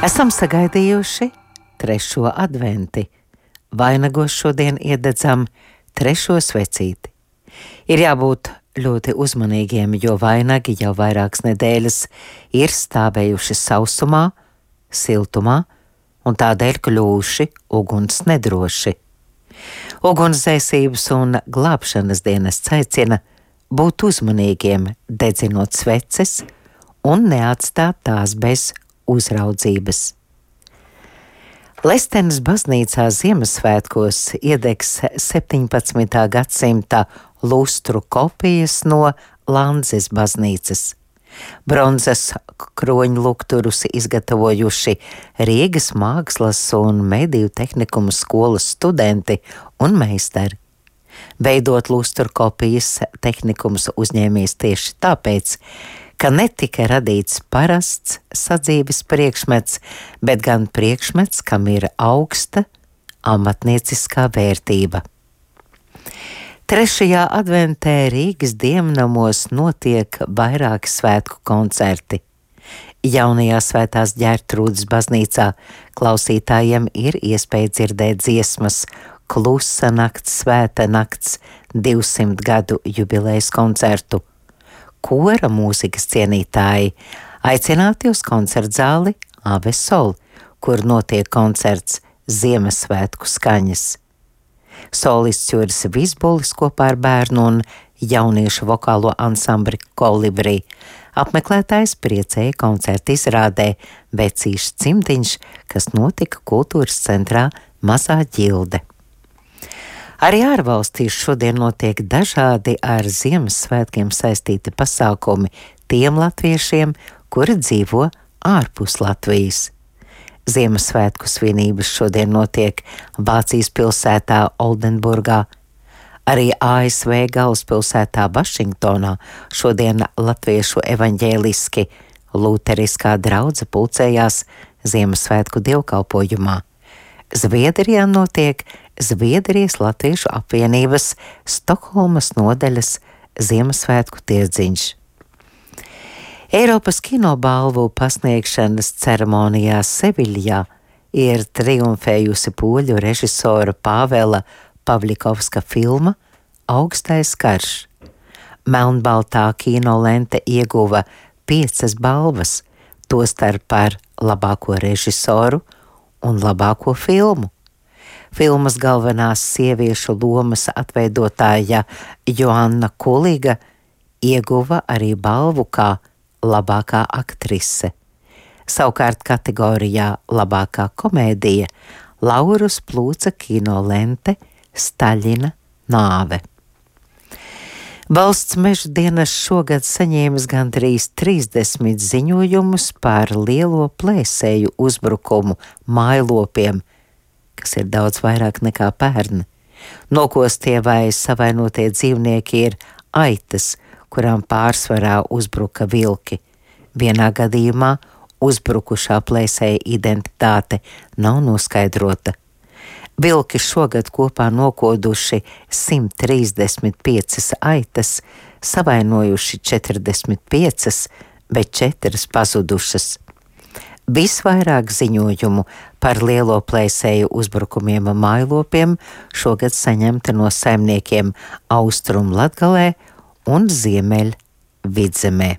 Esam sagaidījuši 3. adventi. Vainagos šodien iededzam 3. svecīti. Ir jābūt ļoti uzmanīgiem, jo vainagi jau vairākas nedēļas ir stāvējuši sausumā, siltumā un tādēļ kļuvuši uguns nedroši. Ugunsdzēsības un glābšanas dienests aicina būt uzmanīgiem, dedzinot sveces un neatstāt tās bez uzraudzības. Lestenes baznīcā Ziemassvētkos iedegs 17. gadsimta lustru kopijas no Landzes baznīcas. Bronzas kroņlukturus izgatavojuši Rīgas mākslas un mediju tehnikuma skolas studenti un meistari. Veidot lustru kopijas tehnikums uzņēmies tieši tāpēc, ka netika radīts parasts sadzīves priekšmets, bet gan priekšmets, kam ir augsta amatnieciskā vērtība. 3. adventē Rīgas dievnamos notiek vairāki svētku koncerti. Jaunajā Svētās Ģertrūdes baznīcā klausītājiem ir iespēja dzirdēt dziesmas Klusa nakts, Svēta nakts 200 gadu jubilejas koncertu. Kora mūzikas cienītāji aicināti uz koncertzāli Ave Sol, kur notiek koncerts Ziemassvētku skaņas. Solists Juris Vizbulis kopā ar bērnu un jauniešu vokālo ansambli Kolibri. Apmeklētājs priecēja koncerta izrādē Vecīšs cimdiņš, kas notika kultūras centrā Mazā ģilde. Arī ārvalstīs šodien notiek dažādi ar Ziemassvētkiem saistīti pasākumi tiem latviešiem, kuri dzīvo ārpus Latvijas. Ziemassvētku svinības šodien notiek Vācijas pilsētā Oldenburgā, arī ASV galvaspilsētā Vašingtonā šodien latviešu evaņģēliski luteriskā draudze pulcējās Ziemassvētku dievkalpojumā. Zviedrijā notiek Zviedrijas Latviešu apvienības Stokholmas nodaļas Ziemassvētku tirdziņš. Eiropas kinobalvu pasniegšanas ceremonijā Seviļā ir triumfējusi poļu režisora Pāvela Pavļikovska filma Augstais karš. Melnbaltā kinolente ieguva 5 balvas, tostarp par labāko režisoru un labāko filmu. Filmas galvenās sieviešu lomas atveidotāja Joanna Kuliga ieguva arī balvu kā labākā aktrise. Savukārt kategorijā labākā komēdija Laurus plūca kinolente Staļina nāve. Valsts meža dienests šogad saņēmis gandrīz 30 ziņojumus par lielo plēsēju uzbrukumu mājlopiem, kas ir daudz vairāk nekā pērn. Nokostie vai savainotie dzīvnieki ir aitas, kurām pārsvarā uzbruka vilki. Vienā gadījumā uzbrukušā plēsēja identitāte nav noskaidrota. Vilki šogad kopā nokoduši 135 aitas, savainojuši 45, bet 4 pazudušas. Visvairāk ziņojumu par lielo plēsēju uzbrukumiem mājlopiem šogad saņemta no saimniekiem Austrum Latgalē un Ziemeļ Vidzemē.